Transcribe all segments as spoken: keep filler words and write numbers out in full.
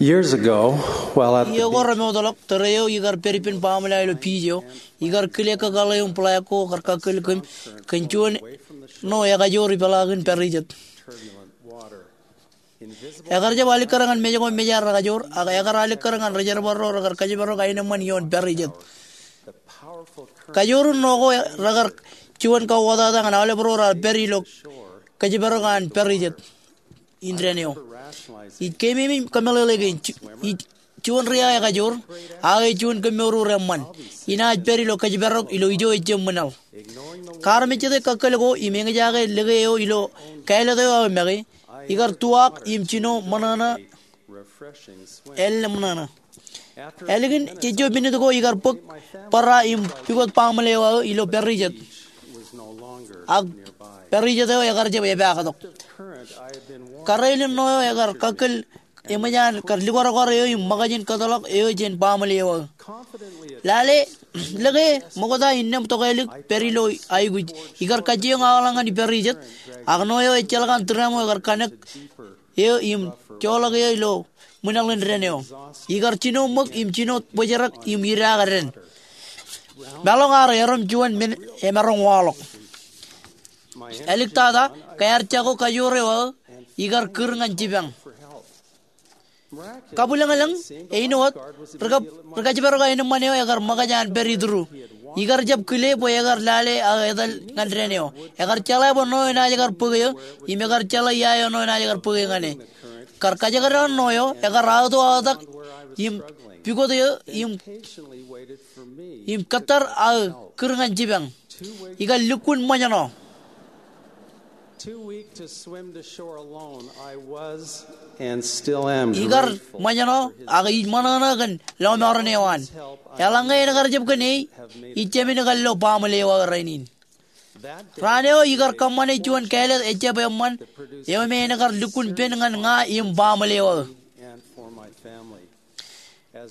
Years ago, while at the Iiō ko remootḷọk, tōre eo ikar pād ippān baaṃle eo ilo beach eo, ikar kile kōkaḷ eo im ḷaak ko kar kakkōl kōm kōn juon ṇo ekajoor ipeḷaakin pārijet. Ekar jab alikkar ñan mej ko mejaer rekajoor, ak ekar alikkar ñan ri jerbal ro rekar kōjparok aenōṃṃan ioon pārijet. Kajoor in ṇo ko rekar juon kauwōtata ñan aolep ro raar pād ilo kōjparok an pārijet indeeo. Ij keememej im kōmeḷeḷe kein, ij juon ri-ekajoor, ak ej juon kōmmour eṃṃan, inaaj pād ilo kōjparok ilo ijo ejjab ṃwilaḷ. Kaarmejjete kakkōl ko im eñjake lōke eo ilo kāālōt eo aō make, ikar tuwaak im jino ṃōṇōṇō, ālōmṇōṇō. Ālikin jejjo minit ko ikar bōk bōrā im pukot baaṃle eo aō ilo pārijet, ak pārijet eo ekar jab epaaktok. Kōrā eo ṇo eo ekar kakkōl eṃōj an kar likwarakwaar eo im ṃōkaj in kōtḷọk eo jān baaṃle eo aō. Lale, lōke ṃokta innām tokālik pād ilo aikuj, ikar kajjioñ aolep ñan pārijet, ak ṇo eo ejjeḷọk an tūrām eo ekar kanōk eo im joḷọk eo ilo ṃwilaḷ in dān eo. Ikar jino ṃōk im jino bōjrak im idaak dān. Meḷọkḷọk erom juon men emaroñ waḷọk. Āliktata, kaiar jako kajoor eo aō ikar kūr ñan jipañ. Kabwilōñlōñ, āinwōt, ri kab, ri kōjparok aenōṃṃan eo ekar ṃōkaj an pād itūru. Ikar jab kile bwe ekar lale aō etal ñan dān eo. Ekar jeḷā bwe ṇo eo enaaj kar bōk eō, im ekar jeḷā ia eo ṇo eo enaaj kar bōk eō ñan e. Kar kajekdọọn ṇo eo, ekar aō to aōtak im pukot eō im, im kōttar aō kūr ñan jipañ. Ikar lukkuun ṃōjṇọ. Too weak to swim to shore alone, I was and still am. Ikar ṃōjṇọ, ak ij ṃōṇōṇō kōn lọmọọren eo an. Eḷaññe en kar jab kōn e, ij jāmin kar lo baaṃle eo aō rainin. Raan eo ikar kōṃṃane juon kāālōt ejjab eṃṃan eo me en kar lukkuun pen ñan ña im baaṃle eo aō.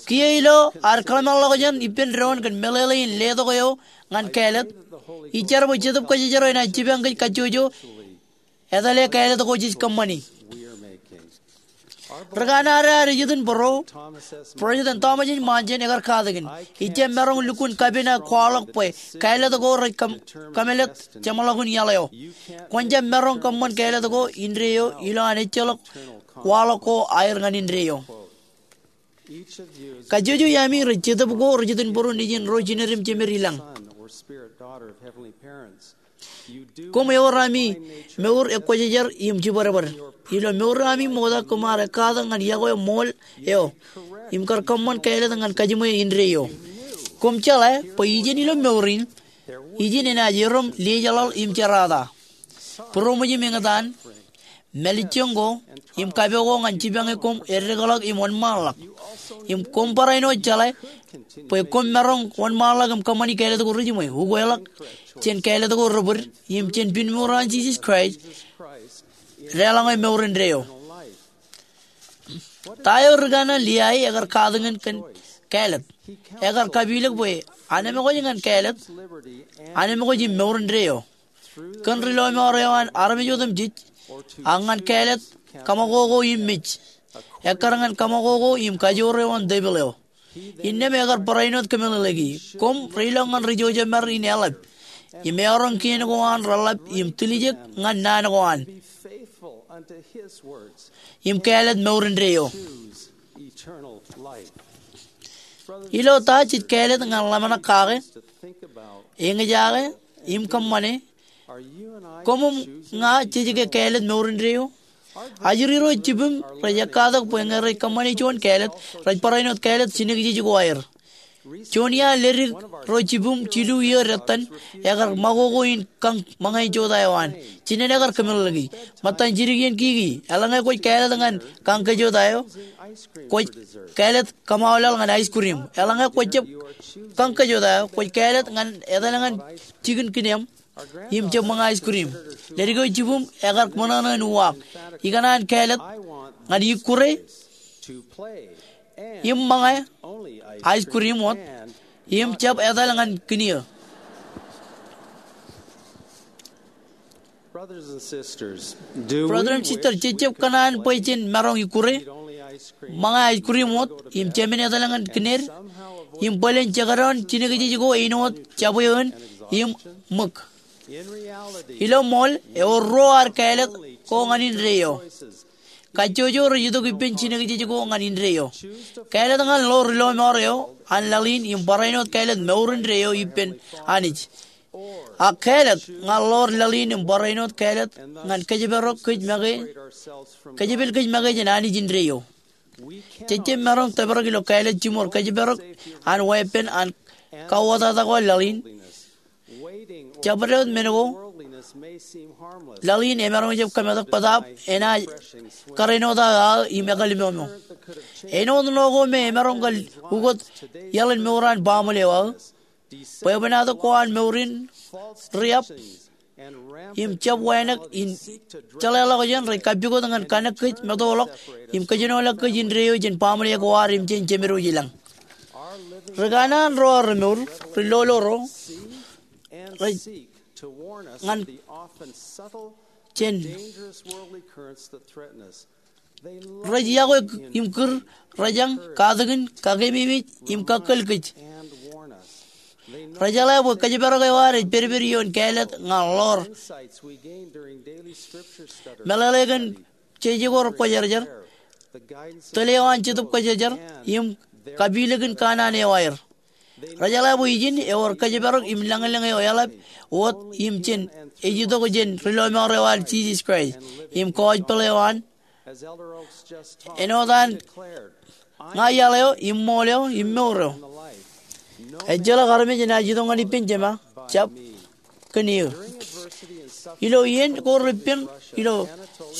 Kiiō ilo ad kōḷmānḷọkjeṇ ippān doon kōn meḷeḷe in letok eo ñan kāālōt, ij jar bwe Jetōb Kwōjarjar eo enaaj jipañ kōj kajjojo etale kāālōt ko jej kōṃṃani. Ri kanaan ad ejitōnbōro, President Thomas S. Monson ekar katakin, ij jab maroñ lukkuun kapin aō kwaḷọk bwe kāālōt ko rej kōm-, kōmālōt jeṃḷọkin iaḷ eo. Kwōn jab maroñ kōṃṃan kāālōt ko indeeo ilo an ejjeḷọk waḷọk ko aer ñan indeeo. Kajjojo iaami rej jetōb ko rej jitōnbōro nejin ro jined im jemed ilañ. Koṃ ewōr ami mour ekwōjarjar im jibadbad. Ilo mour ami ṃokta koṃ ar ekkatak ñan yokwe ṃool eo im kar kōṃṃan kāālōt ñan kajiṃwe indeeo. Koṃ jeḷā bwe ijin ilo mour in, ijin enaaj erom liejeḷaḷ im jerata. Būroṃōj im eñtaan, mālejjoñ ko, im kapo ko ñan jipañe koṃ eddekḷọk im wōnṃaanḷọk. Im koṃ barāinwōt jeḷā bwe koṃ maroñ wōnṃaanḷọk im kōṃṃani kāālōt ko rejiṃwe, ukeḷọk jān kāālōt ko rebōd, im jān pinmour eo an Jisōs Kraist deḷọñe mour indeeo. Ta eo ri kanaan Liai ekar katakin kōn kāālōt? Ekar kapilōk bwe anemkwōj ñan kāālōt, anemkwōj im mour indeeo. Kōn ri lọmọọr eo an armej otemjej, ak ñan kāālōt kōṃakoko im mej, ekkar ñan kōṃakoko im kajoor eo an tepil eo. Innām ekar barāinwōt kōmeḷeḷeiki. Koṃ reilọk ñan ri jojemar in eḷap, im eọroñ kien ko an reḷap im tiljek ñan naan ko an, im kāālōt mour indeeo. Ilo ta jej kāālōt ñan ḷōmṇak kake, eñjake, im kōṃṃane? Koṃ im ña jej ke kāālōt mour indeeo? Ajri ro jibwim rej ekkatak bwe ñe rej kōṃṃane juon kāālōt, rej barāinwōt kāālōt jinōkjeej ko aer. Juon iaan ledik ro jibwim jilu iiō dettan ekar ṃakoko in kañ ṃōñā jota eo an. Jinen ekar kōmeḷeḷeiki. Ṃōttan jidik iien kiki, eḷaññe kwōj kāālōt ñan kañ kōjota eo, kwōj kāālōt kōṃaul laḷ ñan ice cream. Eḷaññe kwōj jab kañ kōjota eo, kwōj kāālōt ñan etal ñan jikin kiniōṃ im jab ṃōñā ice cream. Ledik eo jibwim ekar ṃōṇōṇō in uwaak. Ikōṇaan kāālōt ñan ikkure im ṃōñā ice cream wōt im jab etal ñan kiniō. Brother im sister, jej jab kōṇaan bwe jen maroñ ikkure? ṃōñā ice cream wōt im jāmin etal ñan kined im bōlen jekdọọn jinōkjeej ko āinwōt jabwewōt im ṃōk. Ilo ṃool, ewōr ruo ad kāālōt ko ñan indeeo. Kajjojo rej itok ippān jinōkjeej ko ñan indeeo. Kāālōt ñan ḷoor ri lọmọọr eo an laḷ in im barāinwōt eo kāālōt mour indeeo ippān Anij. Ak kāālōt ñan ḷoor laḷ in im barāinwōt kāālōt ñan kōjparok kōj make, kōjepel kōj make jān Anij indeeo. Jej jab maroñ tōprak ilo kāālōt jiṃor kōjparok an weeppān an kauwōtata ko laḷ in. Jabdewōt men ko, laḷ in emaroñ jab kōmetak bōtaab enaaj kōrāinwōt aō aō im ekālmomo. Āinwōt ṇo ko me emaroñ kar ukōt iaḷ in mour an baaṃle eo aō, bwebwenato ko an mour in riab im jab wānōk in jeḷāḷọkjeṇ rej kappukot ñan kanōk kōj meto ḷọk im kōjenoḷọk kōj indeeo jān baaṃle ko ad im jān Jemedwōj ilañ. Ri kanaan ro an remour, ri lolo ro, rej ñan jān rej iọkwe im kūr, rōjañ, katakin, kakeememej im kakkōl kōj. Rejeḷā bwe kōjparok eo ad ej pedped ioon kāālōt ñan ḷoor meḷeḷe kōn jeje ko rekwōjarjar, tōl eo an Jetōb Kwōjarjar, im kapilikin kanaan eo aer. Rejeḷā bwe ijin ewōr kōjparok im lañlōñ eo eḷap wōt im jān ej itok jān ri lọmọọr eo an Jisōs Kraist im gospel eo an, āinwōt an ña iaḷ eo im ṃool eo im mour eo. Ejjeḷọk armej enaaj itok ñan ippān Jema, jab kōn eō. Ilo iien ko repen ilo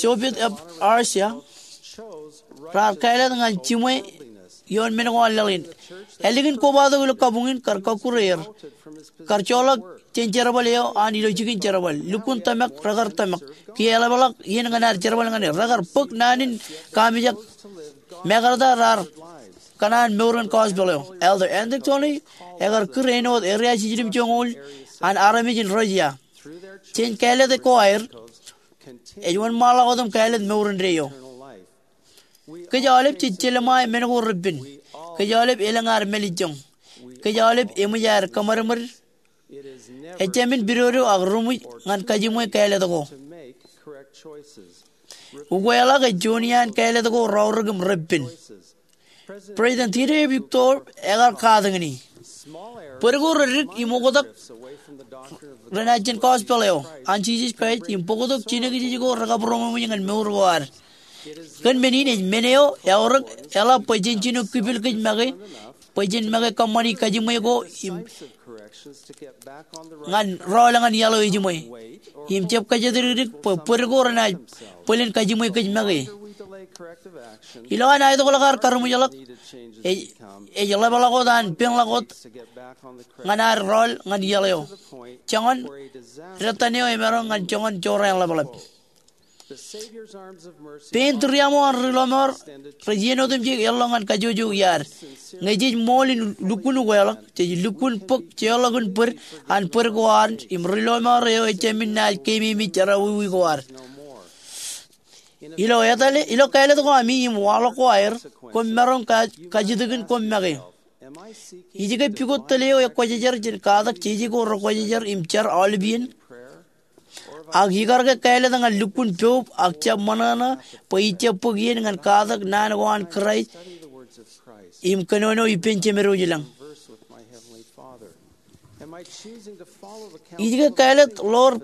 Soviet eo Russia, raar kāālōt ñan jiṃwe ioon men ko an laḷ in. Ālikin kobatok ilo kabuñ in kar kọkkure er, kar joḷọk jān jerbal eo an ilo jikin jerbal. Lukkuun tōmak rekar tōmak, kiiō eḷapḷọk iien ñan ad jerbal ñan er. Rekar bōk naan in kaamijak. Mekarta raar kōṇaan mour in gospel eo. Elder Anthony ekar kūr āinwōt area jiljilimjuonñoul an armej in Russia. Jān kāālōt ko aer, ej wōnṃaanḷọk wōt im kāālōt mour indeeo. Kōj aolep jej jelṃae men ko repen. Kōj aolep elōñ ad mālejjoñ. Kōj aolep eṃōj aer kōṃadṃōd. Ejāmin pidodo ak ruṃwij ñan kajiṃwe kāālōt ko. Ukweḷọk ej juon iaan kāālōt ko raorōk im repen. President Dieter Uchtdorf ekar katakin e. Bōd ko redik im oktak renaaj jān gospel eo an Jisōs Kraist im bōktok jinōkjeej ko rekabūroṃōj ñan mour ko ad. Kōn men in ej men eo eaorōk eḷap bwe jen jino kipel kōj make, bwe jen make kōṃṃani kajiṃwe ko im ñan rọọl ñan iaḷ eo ejiṃwe. Im jab kōjatdikdik bwe bōd ko renaaj bōlen kajiṃwe kōj make. Ilo an aetokḷọk ad karuṃwijḷọk, ej, ej ḷapḷọk wōt an peñḷọk wōt ñan ad rọọl ñan iaḷ eo. Joñan, dettan eo emaroñ ñan joñan jorrāān ḷapḷap. Pein tūriaṃo an ri lọmọọr rej iien otemjej eḷḷọk ñan kajjojo iaad. Ñe jej ṃool in lukkuun ukweḷọk, jej lukkuun bōk jeorḷọkin bōd an bōd ko ad im ri lọmọọr eo ejāmin naaj keememej jerọwiwi ko ad. Ilo etale, ilo kāālōt ko ami im waḷọk ko aer, koṃ maroñ ka-, kajjitōkin koṃ make. Ij ke pukot tōl eo ekwōjarjar jān katak jeje ko rekwōjarjar im jar aolep iien? Ak ikar ke kāālōt ñan lukkuun poub ak jab ṃōṇōṇō bwe ij jab bōk iien ñan katak naan ko an Kraist im kōnono ippān Jemedwōj ilañ? Ij ke kāālōt ḷoor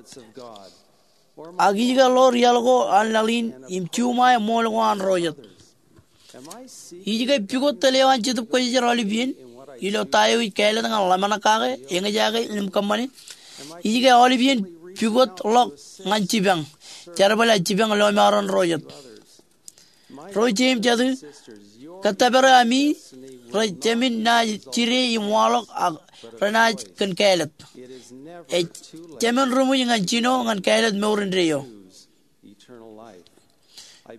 ak ij ke ḷoor iaḷ ko an laḷ in im juṃae ṃool ko an ro jet? Ij ke pukot tōl eo an Jetōb Kwōjarjar aolep iien ilo ta eo ij kāālōt ñan ḷōmṇak kake, eñjake im kōṃṃane? Ij ke aolep iien pukotḷọk ñan jipañ, jerbal aō jipañ lọmọọren ro jet? Ro ije im jatū, kōttōpar ami rej jāmin naaj jide im waḷọk ak renaaj kōn kāālōt. Ej jāmin ruṃwij ñan jino ñan kāālōt mour indeeo.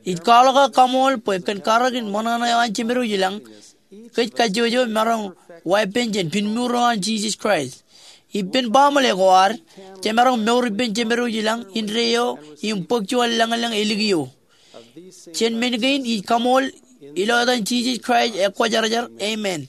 Ij kwaḷọk aō kaṃool bwe kōn karōk in ṃōṇōṇō eo an Jemedwōj ilañ, kōj kajjojo maroñ weeppān jān pinmuur eo an Jisōs Kraist. Ippān baaṃle ko ad, jemaroñ mour ippān Jemedwōj ilañ indeeo im bōk juon lañlōñ ālikiiō. Jān men kein ij kaṃool Ilo etan Jisōs Kraist ekwōjarjar, amen.